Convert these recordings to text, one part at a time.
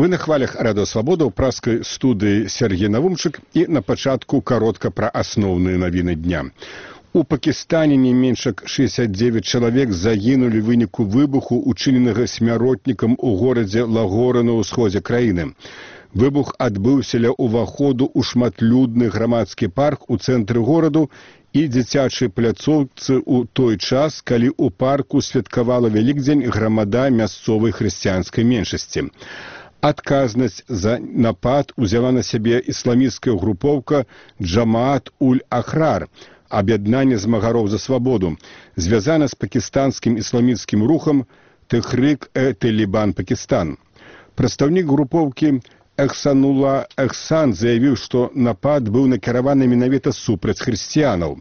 Вы на хвалях Радыё Свабода ў праскай студыі Сергей Навумчык і на пачатку каротка пра асноўныя навіны дня. У Пакістане не менш як 69 чалавек загінулі ў выніку выбуху, учыненага смяротнікам у горадзе Лагора на ўсходзе краіны. Выбух адбыўся ля ўваходу ў шматлюдны грамадскі парк у цэнтры гораду і дзіцячай пляцоўцы ў той час, калі ў парку святкавала Вялікдзень грамада мясцовай хрысціянскай меншасці. Адказнасць за напад узяла на сябе ісламісцкая групоўка Джамаат-уль-Ахрар, аб'яднанне змагароў за свабоду, звязана з пакістанскім ісламісцкім рухам Тэхрик-э-Талібан Пакістан. Прадстаўнік групоўкі Эхсанулла Эхсан заявіў, што напад быў накіраваны менавіта супраць хрысціянаў.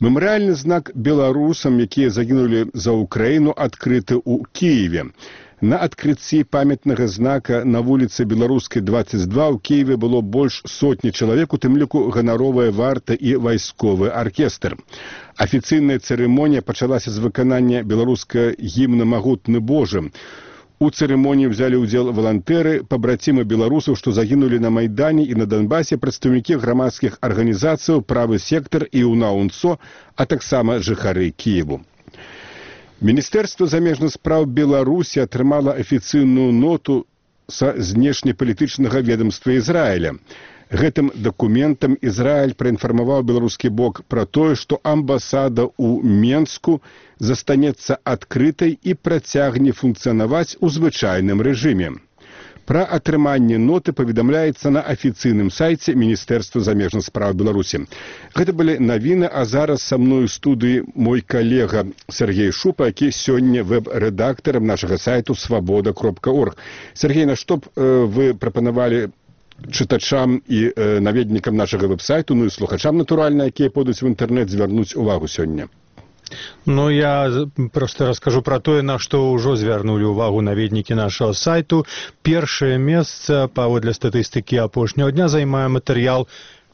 Мемарыяльны знак беларусам, якія загінулі за Украіну, адкрыты ў Кіеве. На адкрыцці памятнага знака на вуліцы Беларускай, 22 ў Кіеве было больш сотні чалавек, у тым ліку ганаровая варта і вайсковы аркестр. Афіцыйная цырымонія пачалася з выканання беларускага гімна «Магутны Божы». У цырымоніі ўзялі ўдзел валантэры, пабрацімы беларусаў, што загінулі на Майдане і на Донбасе, прадстаўнікі грамадскіх арганізацыяў, правы сектар і УНА-УНСО, а таксама жыхары Кіеву. Міністэрства замежных спраў Беларусі атрымала афіцыйную ноту са знешнепалітычнага ведамства Ізраіля. Гэтым дакументам Ізраіль праінфармаваў беларускі бок пра тое, што амбасада ў Менску застанецца адкрытай і працягне функцыянаваць у звычайным рэжыме. Пра атрыманне ноты паведамляецца на афіцыйным сайце Міністэрства замежных спраў Беларусі. Гэта былі навіны, а зараз са мной у студыі мой калега Сергей Шупа, які сёння вэб-рэдактарам нашага сайту свабода.орг. Сергей, на што б вы прапанавалі чытачам і наведнікам нашага вэб-сайту, ну і слухачам, натуральна, якія пойдуць в інтэрнэт, звярнуць увагу сёння? Ну, я просто раскажу про тое, на што ўжо звярнулі ўвагу наведнікі нашага сайту. Першае месца, паводле статыстыкі апошняга дня, займае матэрыял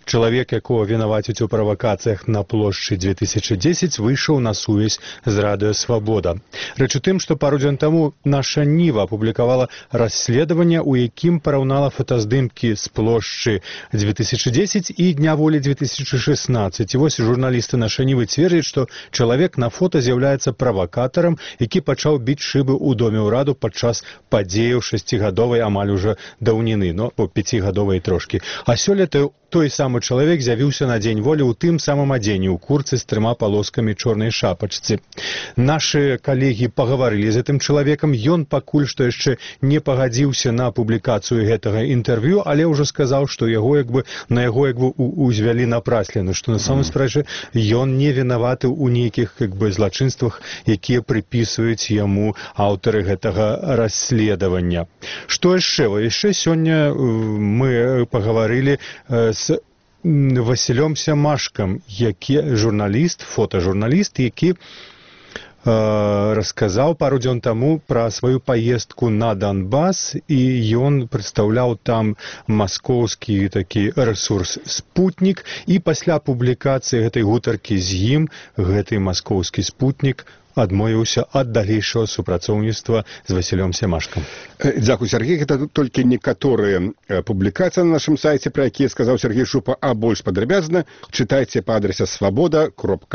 «Чалавек, якого вінавацяць у правакацыях на плошчы 2010, выйшаў на сувязь з Радыё Свабода». Рэч у тым, што пару дзён таму наша Ніва апублікавала расследаванне, у якім параўнала фотаздымкі з плошчы 2010 і Дня волі 2016. І вось журналісты наша Нівы цвердзяць, што чалавек на фота з'яўляецца правакатарам, які пачаў біць шыбы ў доме ўраду падчас падзеяў 6гадовай амаль ужо даўніны, но 5гадовай трошкі. А сёлета той самы чалавек з'явіўся на Дзень волі ў тым самым адзенні, ў курцы з 3 палоскамі чорнай шапачцы. Нашы калегі пагаварылі з гэтым чалавекам, ён пакуль што яшчэ не пагадзіўся на публікацыю гэтага інтэрв'ю, але ўжо сказаў, што на яго узвялі напраслены, што на самой справе ён не вінаваты ў нейкіх злачынствах, якія прыпісваюць яму аўтары гэтага расследавання. Што яшчэ? Яшчэ сёння мы пагаварылі з Васілём Сямашкам, фотажурналіст, які расказаў пару дзён таму пра сваю паездку на Донбас, і ён прадстаўляў там маскоўскі такі рэсурс «Спутнік», і пасля публікацыі гэтай гутаркі з ім гэты маскоўскі «Спутнік» адмовіўся ад далейшага супрацоўніцтва з Васілём Сямашкам. Дзякуй, Сергей. Гэта толькі некаторыя публікацыі на нашым сайце, пра якія сказаў Сергей Шупа, а больш падрабязна чытайце па адрасе свабода.орг.